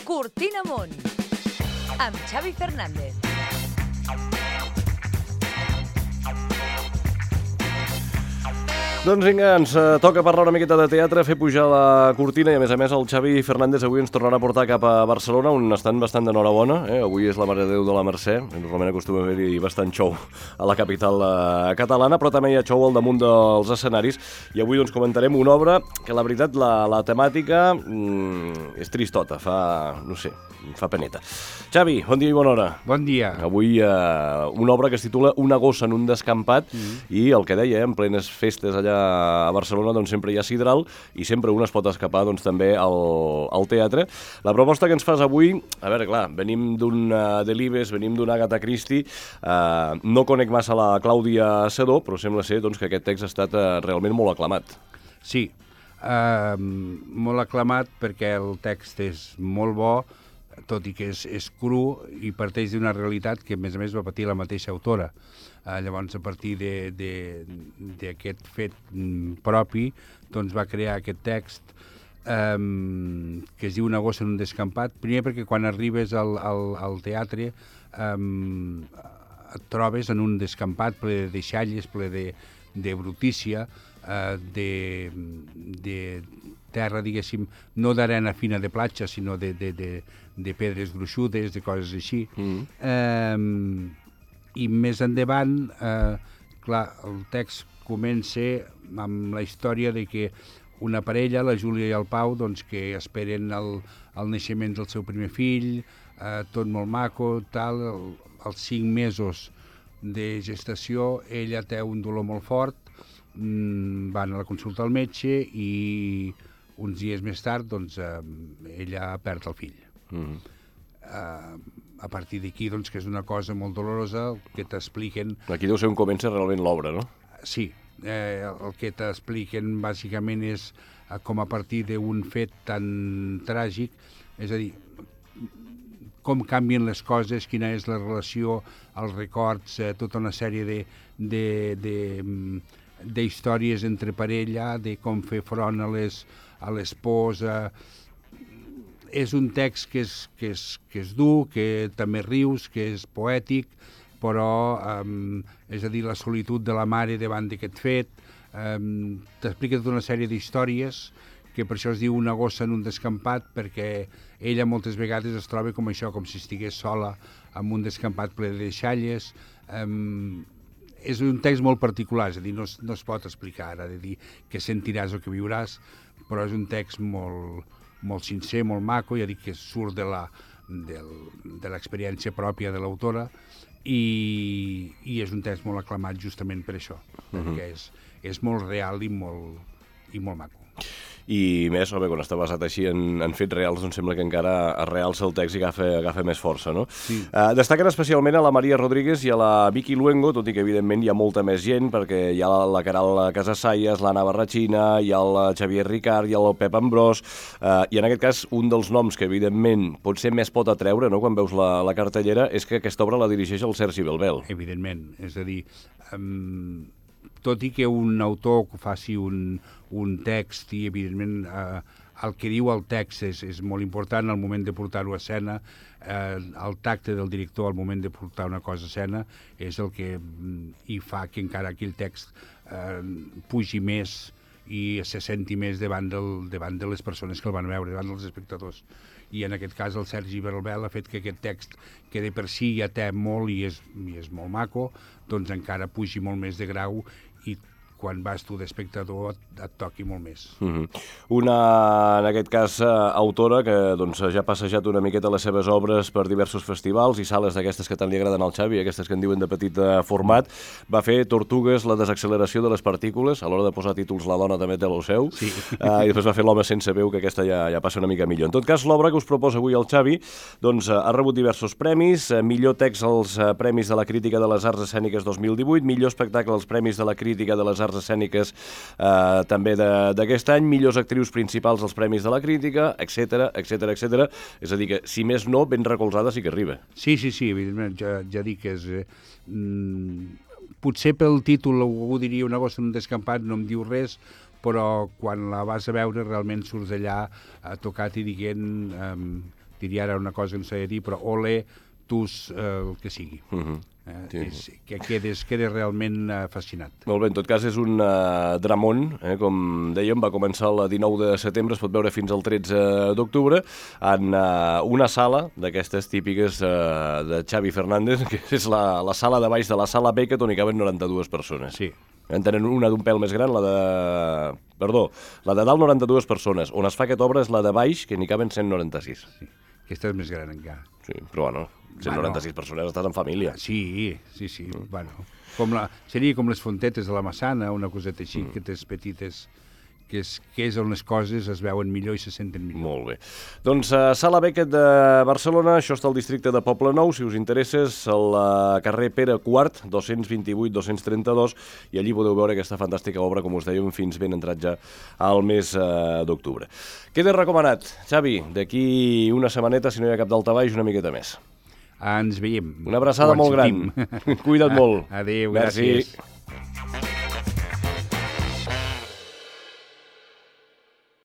Cortina Amunt, amb Xavi Fernández. Doncs vinga, ens toca parlar una miqueta de teatre, fer pujar la cortina i a més el Xavi Fernández avui ens tornarà a portar cap a Barcelona on estan bastant d'enhorabona. Avui és la Mare de Déu de la Mercè, normalment acostuma a haver-hi bastant xou a la capital catalana, però també hi ha xou al damunt dels escenaris i avui doncs comentarem una obra que la veritat la temàtica és tristota, fa peneta. Xavi, bon dia i bona hora. Bon dia. Avui una obra que es titula Una gossa en un descampat i el que deia, en plenes festes allà a Barcelona doncs sempre hi ha sidral i sempre un es pot escapar doncs també al teatre. La proposta que ens fas avui, a veure, clar, venim d'un Delibes, venim d'una Agatha Christie, no conec massa la Clàudia Sedó, però sembla ser doncs, que aquest text ha estat realment molt aclamat. Sí, molt aclamat perquè el text és molt bo, tot i que és cru i parteix d'una realitat que a més va patir la mateixa autora. Llavors, a partir d'aquest fet propi, doncs va crear aquest text que es diu Una gossa en un descampat. Primer perquè quan arribes al teatre et trobes en un descampat ple de deixalles, ple de brutícia, de terra, diguéssim, no d'arena fina de platja, sinó de pedres gruixudes, de coses així. I més endavant, clar, el text comença amb la història de que una parella, la Júlia i el Pau, doncs, que esperen el naixement del seu primer fill, tot molt maco, tal, als 5 mesos de gestació, ella té un dolor molt fort, van a la consulta al metge i uns dies més tard doncs, ella perd el fill. A partir d'aquí, doncs, que és una cosa molt dolorosa, que t'expliquen... Aquí deu ser on comença realment l'obra, no? Sí, el que t'expliquen bàsicament és com a partir d'un fet tan tràgic, és a dir, com canvien les coses, quina és la relació, els records, tota una sèrie d'històries entre parella, de com fer front a les pors. És un text que és dur, que també rius, que és poètic, però, és a dir, la solitud de la mare davant d'aquest fet, t'explica tota una sèrie d'històries, que per això es diu Una gossa en un descampat, perquè ella moltes vegades es troba com això, com si estigués sola en un descampat ple de deixalles. És un text molt particular, és a dir, no es pot explicar ara, de dir què sentiràs o què viuràs, però és un text molt sincer, molt maco, ja dic que surt de l'experiència pròpia de l'autora i és un text molt aclamat justament per això, perquè és molt real i molt maco. I més, quan està basat així en fets reals, doncs sembla que encara es realça el text i agafa més força, no? Sí. Destaquen especialment a la Maria Rodríguez i a la Vicky Luengo, tot i que evidentment hi ha molta més gent, perquè hi ha la Caral Casassayas, l'Anna Barrachina, hi ha el Xavier Ricard, hi ha el Pep Ambrós, i en aquest cas un dels noms que evidentment potser més pot atreure, no?, quan veus la cartellera, és que aquesta obra la dirigeix el Sergi Belbel. Evidentment, és a dir, tot i que un autor faci un text i, evidentment, el que diu el text és molt important al moment de portar-ho a escena, el tacte del director al moment de portar una cosa a escena és el que hi fa que encara aquell text pugi més i se senti més davant de les persones que el van veure, davant dels espectadors. I en aquest cas el Sergi Belbel ha fet que aquest text, que de per si ja té molt i és molt maco, doncs encara pugi molt més de grau i quan vas tu d'espectador et toqui molt més. Una, en aquest cas, autora que doncs, ja ha passejat una miqueta les seves obres per diversos festivals i sales d'aquestes que tant li agraden al Xavi, aquestes que en diuen de petit format. Va fer Tortugues, la desacceleració de les partícules, a l'hora de posar títols la dona també té el seu, sí. I després va fer L'home sense veu, que aquesta ja passa una mica millor. En tot cas, l'obra que us proposa avui el Xavi doncs, ha rebut diversos premis, millor text als Premis de la Crítica de les Arts Escèniques 2018, millor espectacle als Premis de la Crítica de les Arts Escèniques també d'aquest any, millors actrius principals als Premis de la Crítica, etc. És a dir que, si més no, ben recolzada sí que arriba. Sí, evidentment, ja dic que és... potser pel títol algú diria Una gossa en un descampat, no em diu res, però quan la vas a veure realment surts d'allà tocat i dient diria ara una cosa que no s'ha de dir, però ole, tus, el que sigui. Sí. Que quedes realment fascinat. Molt bé, en tot cas és un dramón, com dèiem, va començar el 19 de setembre, es pot veure fins al 13 d'octubre, en una sala d'aquestes típiques de Xavi Fernández, que és la sala de baix de la sala Beckett, on hi caben 92 persones. Sí. En tenen una d'un pèl més gran, la de dalt 92 persones. On es fa aquesta obra és la de baix, que n'hi caben 196. Sí. Aquesta és més gran encara. Sí, però bueno, 196 persones, estàs en família. Sí. Bueno, seria com les fontetes de la Massana, una coseta així, aquestes petites, que és on les coses es veuen millor i se senten millor. Molt bé. Doncs Sala Beckett de Barcelona, això està al districte de Poblenou, si us interessa, és al carrer Pere IV, 228-232, i allí podeu veure aquesta fantàstica obra, com us dèiem, fins ben entrat ja al mes d'octubre. Queda recomanat, Xavi, d'aquí una setmaneta, si no hi ha cap daltabaix, una miqueta més. Ens veiem. Una abraçada molt gran. Cuida't molt. Adéu, Merci. gràcies.